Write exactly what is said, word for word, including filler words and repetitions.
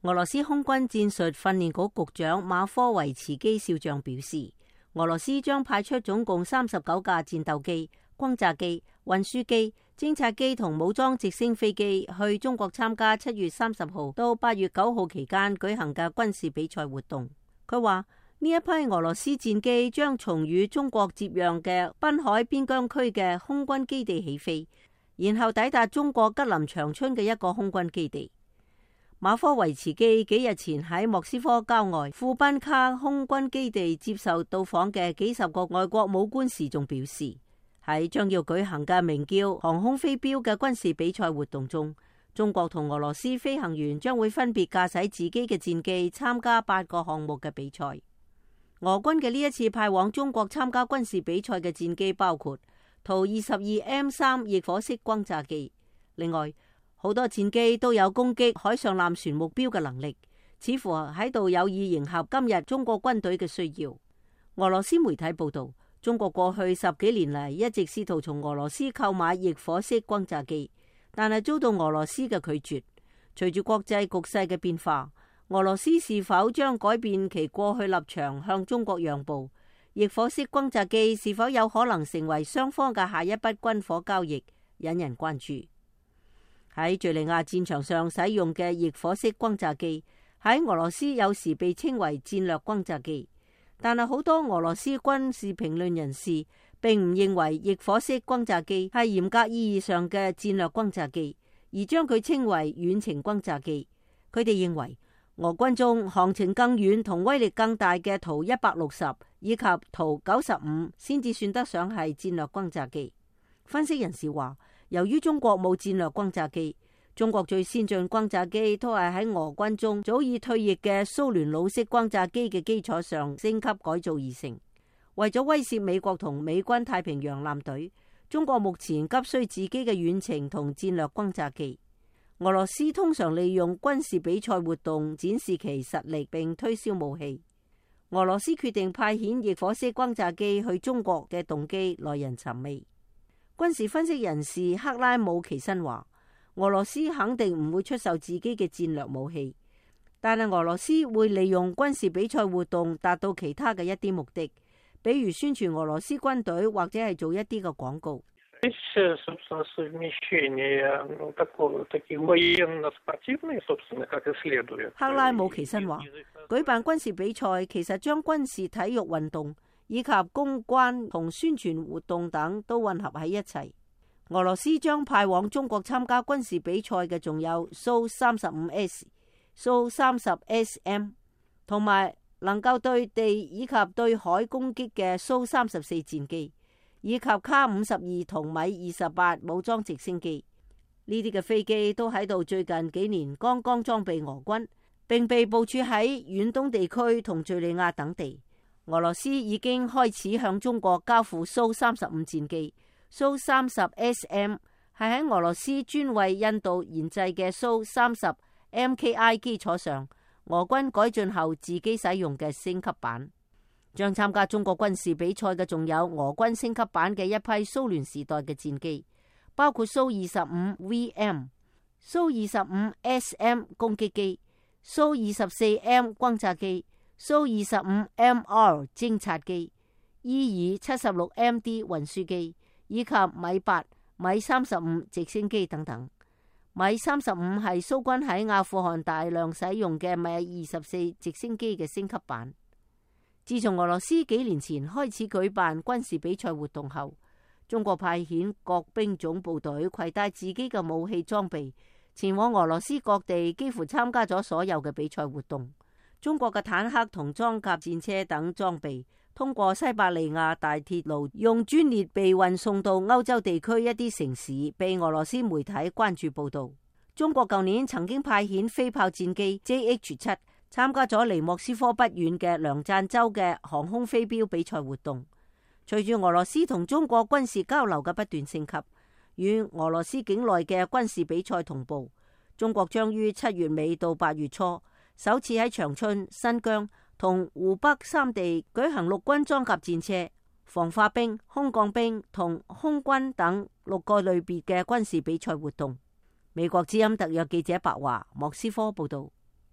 俄羅斯空軍戰術訓練局局長馬科維茨基少將表示，俄羅斯將派出總共三十九架戰鬥機、轟炸機、運輸機、偵察機同武裝直升飛機去中國參加七月三十號到八月九號期間舉行嘅軍事比賽活動。佢話呢一批俄羅斯戰機將從與中國接壤嘅濱海邊疆區嘅空軍基地起飛，然後抵達中國吉林長春嘅一個空軍基地。馬科維茨基幾日前喺莫斯科郊外庫賓卡空軍基地接受到訪嘅幾十個外國武官時，仲表示喺將要舉行嘅名叫航空飛鏢嘅軍事比賽活動中，中國同俄羅斯飛行員將會分別駕駛自己嘅戰機參加八個項目嘅比賽。俄軍嘅呢一次派往中國參加軍事比賽嘅戰機包括圖二十二 M 三翼火式轟炸機，另外好多戰機都有攻擊海上艦船目標嘅能力，似乎喺度有意迎合今日中國軍隊嘅需要。俄羅斯媒體報道，中國過去十幾年嚟一直試圖從俄羅斯購買翼火式轟炸機，但係遭到俄羅斯嘅拒絕。隨住國際局勢嘅變化，俄羅斯是否將改變其過去立場向中國讓步？翼火式轟炸機是否有可能成為雙方嘅下一筆軍火交易，引人關注。喺敘利亞戰場上使用嘅翼火式轟炸機喺俄羅斯有時被稱為戰略轟炸機，但係好多俄羅斯軍事評論人士並唔認為翼火式轟炸機係嚴格意義上嘅戰略轟炸機，而將佢稱為遠程轟炸機。佢哋認為俄軍中航程更遠同威力更大嘅圖一百六十以及圖九十五先至算得上係戰略轟炸機。分析人士話，由於中國冇戰略轟炸機，中國最先進轟炸機都係喺俄軍中早已退役嘅蘇聯老式轟炸機嘅基礎上升級改造而成。為咗威懾美國同美軍太平洋艦隊，中國目前急需自己嘅遠程同戰略轟炸機。俄羅斯通常利用軍事比賽活動展示其實力並推銷武器。俄羅斯決定派遣翼火式轟炸機去中國嘅動機耐人尋味。軍事分析人士克拉姆奇申話，俄羅斯肯定唔會出售自己嘅戰略武器，但係俄羅斯會利用軍事比賽活動達到其他嘅一啲目的，比如宣傳俄羅斯軍隊或者係做一啲嘅廣告。克拉姆奇申話，舉辦軍事比賽其實將軍事體育運動以及公關同宣傳活動等都混合喺一齊。俄羅斯將派往中國參加軍事比賽嘅仲有蘇三十五 S、蘇三十 S M， 同埋能夠對地以及對海攻擊嘅蘇三十四戰機，以及卡五十二同米二十八武裝直升機。呢啲嘅飛機都喺度最近幾年剛剛裝備俄軍，並被部署喺遠東地區同敘利亞等地。俄羅斯已經開始向中國交付蘇三十五戰機，蘇三十 S M 係喺俄羅斯專為印度研製嘅蘇三十 M K I 基礎上，俄軍改進後自己使用嘅升級版。將參加中國軍事比賽嘅仲有俄軍升級版嘅一批蘇聯時代嘅戰機，包括蘇二十五 V M、蘇二十五 S M 攻擊機、蘇二十四 M 轟炸機、蘇二十五 M R 偵察機、伊爾七十六 M D 運輸機，以及米八、米三十五直升機等等。米三十五係蘇軍喺阿富汗大量使用嘅米二十四直升機嘅升級版。自從俄羅斯幾年前開始舉辦軍事比賽活動後，中國派遣各兵種部隊攜帶自己嘅武器裝備，前往俄羅斯各地，幾乎參加咗所有嘅比賽活動。中國嘅坦克同裝甲戰車等裝備通過西伯利亞大鐵路用專列被運送到歐洲地區一啲城市，被俄羅斯媒體關注報道。中國舊年曾經派遣飛炮戰機 J H 七參加咗離莫斯科不遠嘅梁贊州嘅航空飛鏢比賽活動。隨住俄羅斯同中國軍事交流嘅不斷升級，與俄羅斯境內嘅軍事比賽同步，中國將於七月尾到八月初首次喺長春、新疆同湖北三地舉行陸軍裝甲戰車、防化兵、空降兵同空軍等六個類別嘅軍事比賽活動。美國之音特約記者白華莫斯科報道。